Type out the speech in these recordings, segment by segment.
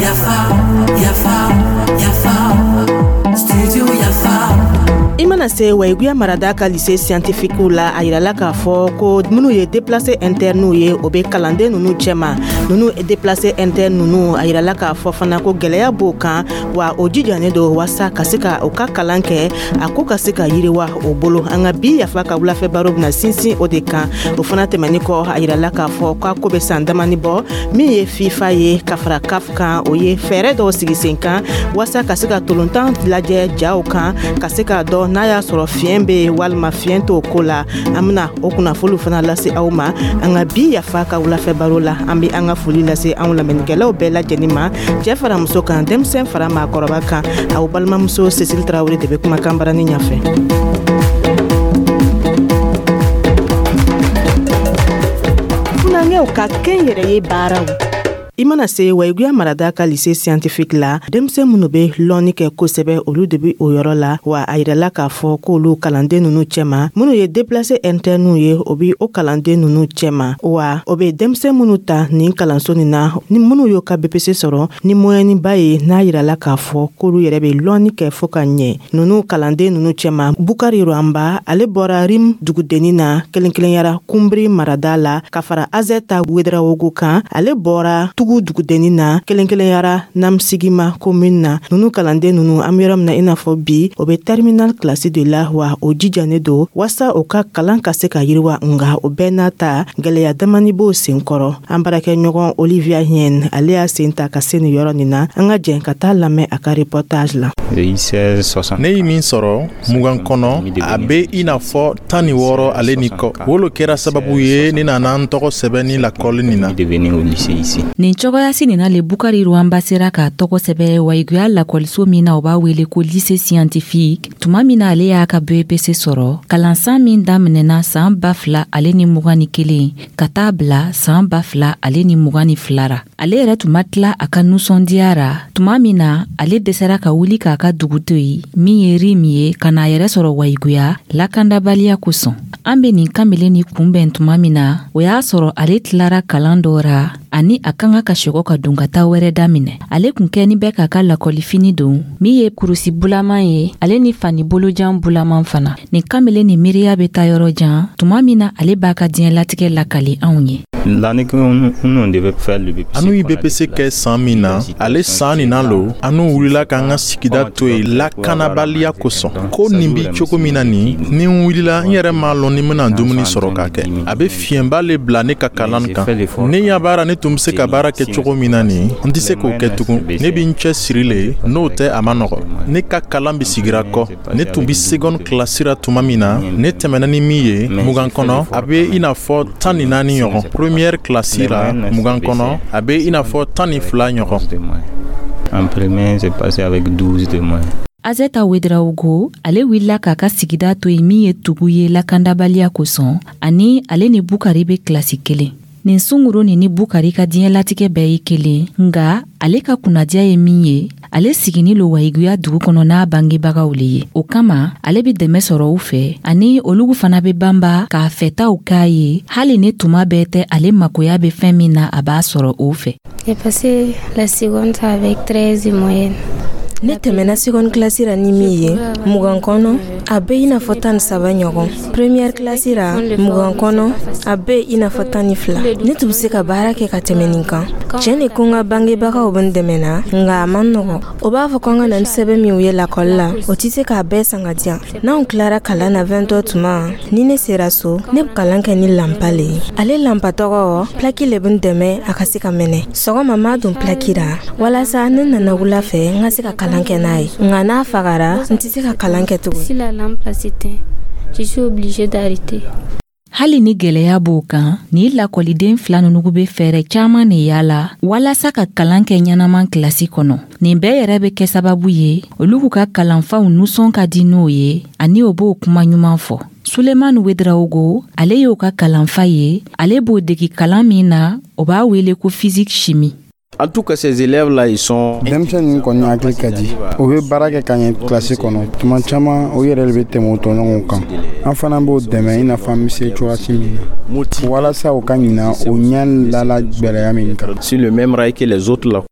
Yafa, yafa, yafa, studio Yafa. I mana se Wayiguya marada ka lycée scientifique la, a yirala k'a fɔ ko minnu ye déplacé interne ye, o bɛ kalanden ninnu cɛma. Ninnu déplacé interne ninnu, a yirala k'a fɔ fana ko gɛlɛya b'o kan, wa o jijanen don waasa ka se ka u ka kalan kɛ, a ko ka se ka yiriwa o bolo. An ka bi Yafa ka wulafɛ baro bɛna sinsin o de kan. O fana tɛmɛni kɔ, a yirala k'a fɔ k'a ko bɛ san damani bɔ, min ye FIFA ye ka fara CAF kan, o ye fɛɛrɛ dɔw sigi sen kan waasa ka se ka tolontan lajɛ jaw kan, ka se k'a dɔn n'a y'a sɔrɔ fiɲɛ bɛ yen walima fiɲɛ t'o ko la. An bɛna o kunnafoniw fana lase aw ma an ka bi Yafa ka wulafɛ baro la. An bɛ an ka foli lase anw lamɛnnikɛlaw bɛɛ lajɛlen ma, cɛ fara muso kan, denmisɛn fara maakɔrɔba kan. Aw balimamuso Cécile Tarawele de bɛ kumakan barani ɲɛfɛ. Funankɛw ka kɛnyɛrɛye baaraw. I mana se Wayiguya marada ka lycée scientifique la, denmisɛn minnu bɛ lɔnni kɛ kosɛbɛ, olu de bɛ o yɔrɔ la. Wa a yirala k'a fɔ k'olu kalanden ninnu cɛma, minnu ye déplacé interne ye, o bɛ o kalanden ninnu cɛma. Wa o bɛ denmisɛn minnu ta nin kalanso nin na, ni minnu y'o ka BEPC sɔrɔ ni moyenne ba ye, n'a yirala k'a fɔ k'olu yɛrɛ bɛ lɔnni kɛ fo ka ɲɛ. Ninnu kalanden ninnu cɛma, Bukari Rwamba, ale bɔra Rim dugudennin na, kelen kelenyara Kunbiri marada la, ka fara Azɛta Wedarawogo kan, ale bɔra Tugu dugudennin na, kelen kelenyara Namsigima commune na. Ninnu kalanden ninnu, an bɛ yɔrɔ min na i n'a fɔ bi, o bɛ terminal classe de la, wa o jijanen don waasa o ka kalan ka se ka yiriwa. Nga o bɛɛ n'a ta, gɛlɛya damani b'o sen kɔrɔ. An baarakɛɲɔgɔn Olivia Hien, ale y'a sen ta ka se nin yɔrɔ nin na. An ka jɛn ka taa lamɛn a ka reportage la. Ne ye min sɔrɔ 20 kɔnɔ, a bɛ i n'a fɔ 16 ale ni kɔ. O lo kɛra sababu ye ne nana n tɔgɔ sɛbɛn ni lakɔli nin na. Nin cogoyasi nin na le Bukari Rwamba sera k'a tɔgɔ sɛbɛ Wayiguya lakɔliso min na, o b'a wele ko lycée scientifique. Tuma min na ale y'a ka BEPC sɔrɔ, kalansan min daminɛna san 2021 ka taa bila san 2022 ra, ale yɛrɛ tun ma tila a ka nusɔndiya ra tuma min na ale dɛsɛra ka wuli k'a ka dugu to yen, min ye Rim ye, ka n'a yɛrɛ sɔrɔ Wayiguya lakandabaliya kosɔn. An be nin kamalen ni kunbɛn tuma min na, o y'a sɔrɔ ale tilara kalan dɔ ra, ani a ka kan ka sɛgɔ ka don ka taa wɛrɛ daminɛ. Ale kun kɛni bɛ k'a ka lakɔlifini don, min ye kurusi bulaman ye, ale ni fani bolojan bulaman fana. Nin kamalen ni miiriya bɛ taa yɔrɔ jan tuma min na ale b'a ka diɲɛlatigɛ lakali anw ye. Anu ye BEPC kɛ san min na, ale san nin na lo anu wulila k'an ka sigida to yen lakanabaliya kosɔn. Ko nin bi cogo min na nin, ni n wulila, n yɛrɛ m'a lɔn ni n bɛna dumuni sɔrɔ k'a kɛ. A bɛ fiɲɛba le bila ne ka kalan kan. Ne ɲɛ baara ne tun bɛ se ka baara kɛ cogo min na nin, n tɛ se k'o kɛ tugun. Ne bɛ n cɛ siri le, n'o tɛ a ma nɔgɔ. Ne ka kalan bɛ sigira kɔ. Ne tun bɛ seconde classe ra tuma min na, ne tɛmɛna ni min ye 20 kɔnɔ, a bɛ i n'a fɔ 14 ɲɔgɔn. Première classe ra 20 kɔnɔ, a bɛ i n'a fɔ 12 ɲɔgɔn. En premier, j'ai passé avec 12 de moyenne. Azeta Wedrawugo, ale wulila k'a ka sigida to yen, min ye Tugu ye, lakandabaliya kosɔn, ani ale ni Bukari bɛ kilasi kelen. Nin sunguru nin ni Bukari ka diɲɛlatigɛ bɛɛ ye kelen, nga ale ka kunnadiya ye min ye, ale sigini lo Wayiguya dugu kɔnɔ n'a bangebagaw le ye. O kama ale be dɛmɛ sɔrɔ u fɛ, ani olugu fana be banba k'a fɛtaw k'a ye, hali ni tuma bɛɛ tɛ ale makoya be fɛn min na, a b'a sɔrɔ o fɛ. J'ai passé la seconde avec 13 de moyenne. Ne tɛmɛna seconde classe ra ni min ye 20 kɔnɔ, a bɛ i n'a fɔ 13 ɲɔgɔn. Première classe ra 20 kɔnɔ, a bɛ i n'a fɔ 12. Ne tun bɛ se ka baara kɛ ka tɛmɛ nin kan. Tiɲɛ de ko n ka bangebagaw bɛ n dɛmɛ na, nka a man nɔgɔn. O b'a fɔ ko n ka na ni sɛbɛn minw ye lakɔli la, o tɛ se k'a bɛɛ san ka di yan. N'anw tilara kalan na 20 heures tuma, ni ne sera so, ne bɛ kalan kɛ ni lanpa le ye. Ale lanpa tɔgɔ plaque le bɛ n dɛmɛ a ka se ka mɛnɛ. Sɔgɔma n b'a don plaque ra walasa ne nana wula fɛ, n ka se ka kalan kɛ n'a ye. Nka n'a fagara, n tɛ se ka kalan kɛ tugun. Si la lampe s'éteint, je suis obligée d'arrêter. Hali ni gwɛlɛya b'o kan, ni lakɔliden fila nunu be fɛɛrɛ caaman de yala walasa ka kalan kɛ ɲɛnaman kilasi kɔnɔ. Nin bɛɛ yɛrɛ be kɛ sababu ye olu k'u ka kalanfaw nusɔn ka di n'o ye, ani o b'o kuma ɲuman fɔ. Sulemani Wedrawugo, ale y'o ka kalanfa ye. Ale b'o degi kalan min na, o b'a wele ko physique chimie. En tout cas, ces élèves-là, ils sont. Denmisɛn ninnu kɔni hakili ka di, o bɛ baara kɛ ka ɲɛ kilasi kɔnɔ. Tuma caman, o yɛrɛ de bɛ tɛmɛ o tɔɲɔgɔnw kan. An fana b'o dɛmɛ i n'a fɔ an bɛ se cogoya min na, walasa u ka ɲina o ɲɛ lala gwɛlɛya min kan. Sur le même rail que les autres là.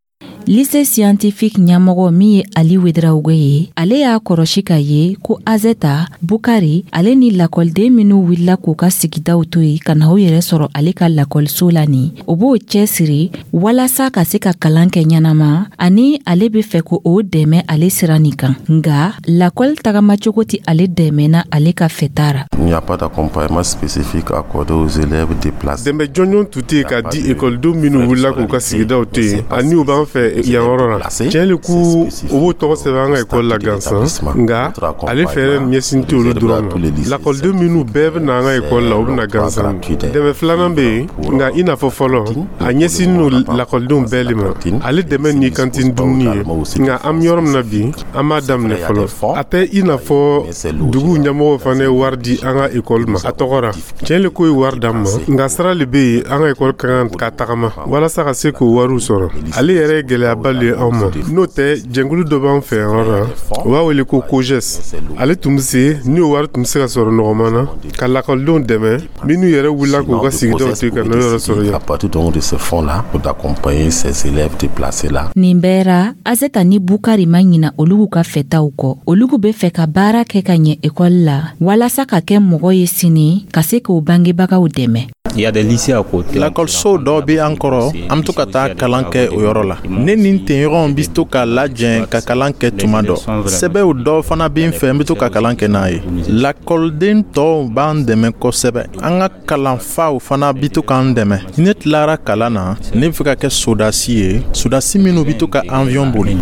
Lycée scientifique ɲɛmɔgɔ min ye Ali Ouédraogo ye, ale y'a kɔrɔsi ka ye ko Azeta, Bukari ale ni lakɔliden minw wulila k'u ka sigidaw to yen ka na u yɛrɛ sɔrɔ ale ka lakɔliso la nin, o b'o cɛsiri walasa ka se ka kalan kɛ ɲɛnama, ani ale be fɛ ko o dɛmɛ ale sira nin kan. Nga lakɔli tagamacogo tɛ ale dɛmɛna ale ka fɛta ra. Il n'y a pas d'accompagnement spécifique accordé aux élèves déplacés. Dɛmɛ jɔnjɔn tun tɛ yen ka di ekɔlidenw minnu wulila k'u ka sigidaw to yen ani u b'an fɛ yan yɔrɔ la. Tiɲɛ le k'u u b'u tɔgɔ sɛbɛn an ka ekɔli la gansan, nka ale fɛɛrɛ ɲɛsin tɛ olu dɔrɔn ma. Lakɔliden minnu bɛɛ bɛ na an ka ekɔli la, u bɛ na gansan. Dɛmɛ filanan bɛ yen, nka i n'a fɔ fɔlɔ, a ɲɛsinnen don lakɔlidenw bɛɛ le ma. Ale dɛmɛ ni cantine dumuni ye, nka an bɛ yɔrɔ min na bi, an m'a daminɛ fɔlɔ. A tɛ i n'a fɔ dugu ɲɛmɔgɔw fana ye wari di an ka ekɔli ma a tɔgɔ ra. Tiɲɛ le k'o ye wari d'an ma, nka sira le bɛ yen an ka ekɔli ka kan ka tagama walasa ka se k'o wariw sɔrɔ. Ale yɛrɛ ye gɛlɛyaba le ye anw ma. N'o tɛ, jɛnkulu dɔ b'an fɛ yan yɔrɔ la, u b'a wele ko COGES. Ale tun bɛ se ni o wari tun bɛ se ka sɔrɔ nɔgɔman na ka lakɔlidenw dɛmɛ minnu yɛrɛ wulila k'u ka sigidaw to yen ka n'o yɔrɔ sɔrɔ yan. À partir donc de ce fonds-là, d'accompagner ces élèves déplacés-là. Nin bɛɛ ra, Azeta ni Bukari ma ɲina olugu ka fɛtaw kɔ. Olugu be fɛ ka baara kɛ ka ɲɛ ekɔli la walasa ka kɛ mɔgɔ ye sini, ka se k'o bangebagaw dɛmɛ. Il y a des lycées à côté. Lakɔliso dɔ bɛ an kɔrɔ, an bɛ to ka taa kalan kɛ o yɔrɔ la. Ne ni n tɛɲɔgɔnw bɛ to ka lajɛ ka kalan kɛ tuma dɔ. Sɛbɛw dɔ fana bɛ n fɛ, n bɛ to ka kalan kɛ n'a ye. Lakɔliden tɔw b'an dɛmɛ kosɛbɛ. An ka kalanfaw fana bɛ to k'an dɛmɛ. Ne tilara kalan na, ne bɛ fɛ ka kɛ sodasi ye, sodasi minnu bɛ to ka avion boli.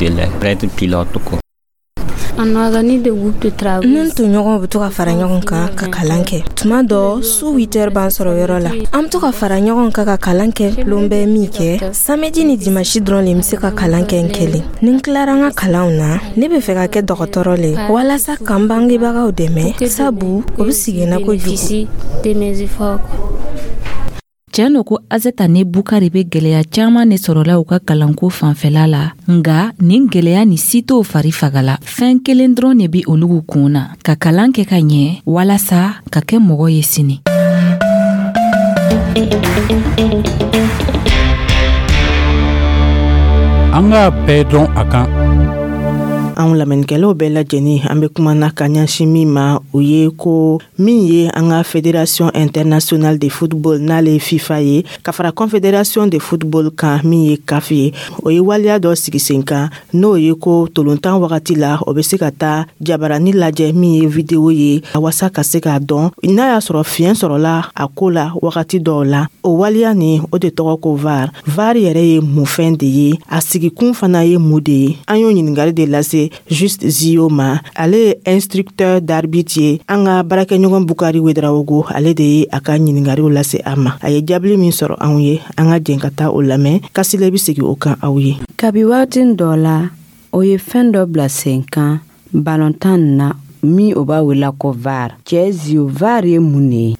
On organise des groupes de travail. N tɔɲɔgɔnw bɛ to ka fara ɲɔgɔn kan ka kalan kɛ. Tuma dɔ, su 8 heures b'an sɔrɔ yɔrɔ la. An bɛ to ka fara ɲɔgɔn kan ka kalan kɛ lon bɛɛ min kɛ. Samedi ni dimanche dɔrɔn le n bɛ se ka kalan kɛ n kelen. Ni n tilara n ka kalanw na, ne bɛ fɛ ka kɛ dɔgɔtɔrɔ le walasa ka n bangebagaw dɛmɛ, sabu o bɛ sigi n na kojugu. De mes efforts. Tiɲɛ don ko Azeta ni Bukari bɛ gwɛlɛya caaman de sɔrɔla u ka kalanko fanfɛla la, nga nin gwɛlɛya ni si t'o fari fagala. Fɛn kelen dɔrɔn de bi olugu kun na: ka kalan kɛ ka ɲɛ walasa ka kɛ mɔgɔ ye sini. An k'a bɛɛ dɔn a kan. Anw lamɛnnikɛlaw bɛɛ lajɛlen, an bɛ kuma na ka ɲɛsin min ma, o ye ko min ye an ka Fédération internationale de football, n'ale ye FIFA ye, ka fara Confédération de football kan, min ye CAF ye, o ye waleya dɔ sigi sen kan, n'o ye ko tolontan wagati la, o bɛ se ka taa jabarani lajɛ, min ye vidéo ye, walasa ka se k'a dɔn n'a y'a sɔrɔ fiɲɛ sɔrɔla a ko la wagati dɔw la. O waleya nin, o de tɔgɔ ko VAR. VAR yɛrɛ ye mun fɛn de ye? A sigikun fana ye mun de ye? An y'o ɲininkali de lase Juste Zio ma. Ale ye instructeur d'arbitre ye. An ka baarakɛɲɔgɔn Bukari Ouédraogo, ale de ye a ka ɲininkaliw lase a ma. A ye jaabili min sɔrɔ anw ye, an ka jɛn ka taa o lamɛn. Kasile bɛ segin o kan aw ye. Kabi waati dɔ la, o ye fɛn dɔ bila sen kan balontan na min o b'a wele ko VAR. Cɛ Zio, VAR ye mun de ye?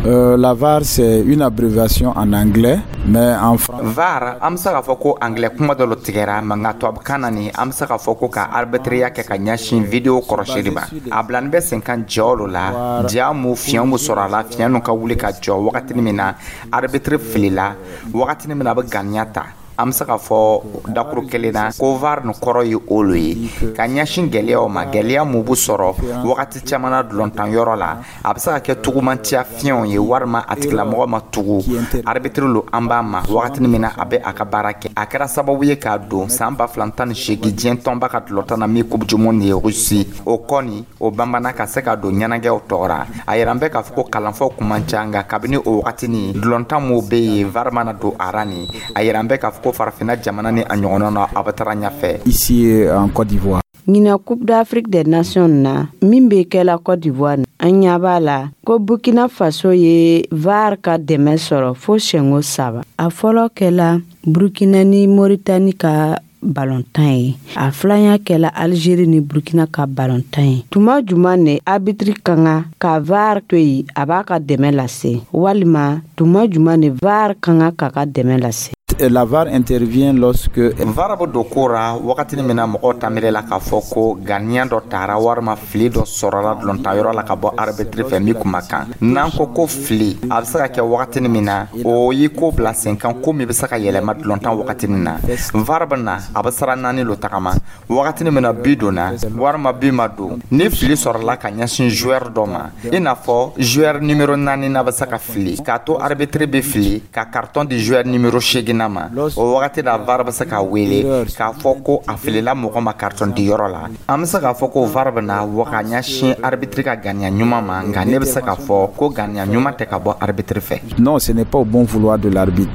La VAR, c'est une abréviation en anglais, mais en français. VAR, an bɛ se k'a fɔ ko anglais kuma dɔ tigɛra, mɛ nka tubabukan na nin, an bɛ se k'a fɔ ko ka arbitriya kɛ ka ɲɛsin vidéo kɔrɔsili ma. A bilani bɛ sen kan jɔ la, ja mu fiɲɛ mu sɔrɔ a la, fiɲɛ nu ka wuli ka jɔ wagati min na arbitre filila, wagati min na a bɛ ganiya ta. An bɛ se k'a fɔ dakuru kelen na ko VAR nin kɔrɔ ye olu ye ka ɲɛsin gɛlɛyaw ma, gɛlɛya mun b'u sɔrɔ wagati caman na dulɔntan yɔrɔ la. A bɛ se ka kɛ tugumantiya fiɲɛw ye, walima a tigilamɔgɔ ma tugu arbitre lo an b'a ma wagati min na a bɛ a ka baara kɛ. A kɛra sababu ye k'a don san 2018 diɲɛ tɔnba ka dulɔtan na min Coupe du monde ye Russie, o kɔni o banbana ka se ka don ɲɛnajɛw tɔgɔra. A yɛrɛ an bɛ k'a fɔ ko kalanfaw kun man ca, nka kabini o wagati ni dulɔntan mun bɛ yen, VAR mana don a ra nin, a yɛrɛ an bɛ k'a fɔ ko farafinna jamana ni a ɲɔgɔnna na, a bɛ taara ɲɛfɛ. Ici en Côte d'Ivoire. Ɲinan Coupe d'Afrique des Nations na min bɛ kɛla Côte d'Ivoire, an ɲɛ b'a la ko Burkina Faso ye VAR ka dɛmɛ sɔrɔ fo siɲɛko saba. A fɔlɔ kɛla Burkina ni Mauritanie ka balontan ye, a filanya kɛla Algérie ni Burkina ka balontan ye. Tuma juman ne arbitre ka kan ka VAR to yen, a b'a ka dɛmɛ lase, walima tuma juman ne VAR ka kan k'a ka dɛmɛ lase? La VAR intervient lorsque VAR bɛ don ko ra wagatini min na, mɔgɔw ta miiri la k'a fɔ ko ganiya dɔ tara walima fili dɔ sɔrɔla dɔlɔntanyɔrɔ la ka bɔ arbitre fɛ min kun ma kan. N'an ko ko fili, a bɛ se ka kɛ wagatini min na, o y'i ko bila sen kan, ko min bɛ se ka yɛlɛma dɔlɔntan wagatini na. VAR bɛ na, a bɛ sira naani lo tagama: wagatini min na but donna walima but ma don, ni fili sɔrɔla ka ɲɛsin joueur dɔ ma, i n'a fɔ joueur numéro 4 na bɛ se ka fili k'a to arbitre bɛ fili ka carton di joueur numéro 8 ma, o wagati la VAR bɛ se ka wele k'a fɔ ko a filila mɔgɔ ma carton di yɔrɔ la. An bɛ se k'a fɔ ko VAR bɛ na wa ka ɲɛsin arbitre ka ganiya ɲuman ma, nka ne bɛ se k'a fɔ ko ganiya ɲuman tɛ ka bɔ arbitre fɛ. Non, ce n'est pas au bon vouloir de l'arbitre.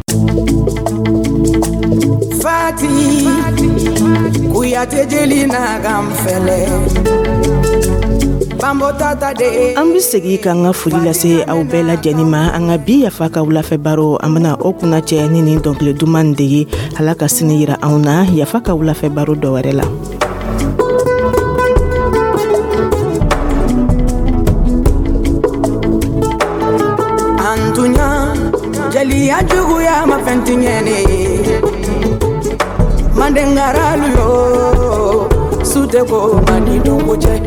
Fati Kuyate jeli na gamfɛlɛ. An be segi k'an ka foli lase aw bɛɛ lajɛnin ma. An ka bi Yafa ka wulafɛ baro, an bena o kunnacɛ ni nin dɔnkili duman de ye. Ala ka sini yira anw na Yafa ka wulafɛ baro dɔ wɛrɛ la. An tunya jeliya juguya ma fɛn tiɲɛ ne ye. Mandengaralu yo su tɛ ko mandi donko cɛ.